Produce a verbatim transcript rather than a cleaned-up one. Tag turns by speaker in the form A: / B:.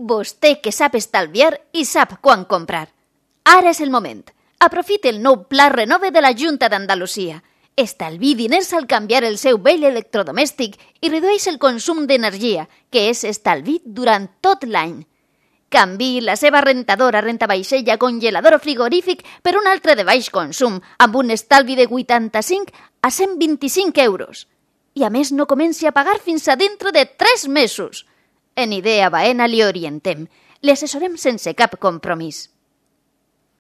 A: Vostè que sap estalviar i sap quan comprar. Ara és el moment. Aprofite el nou Pla Renove de la Junta d'Andalusia. Estalvi diners al canviar el seu vell electrodomèstic i redueix el consum d'energia, que és estalvi durant tot l'any. Canviï la seva rentadora, rentavaixella, congelador o frigorífic per un altre de baix consum, amb un estalvi de vuitanta-cinc a cent vint-i-cinc euros. I a més no comenci a pagar fins a dintre de tres mesos. En Idea Baena li orientem. Li assessorem sense cap compromís.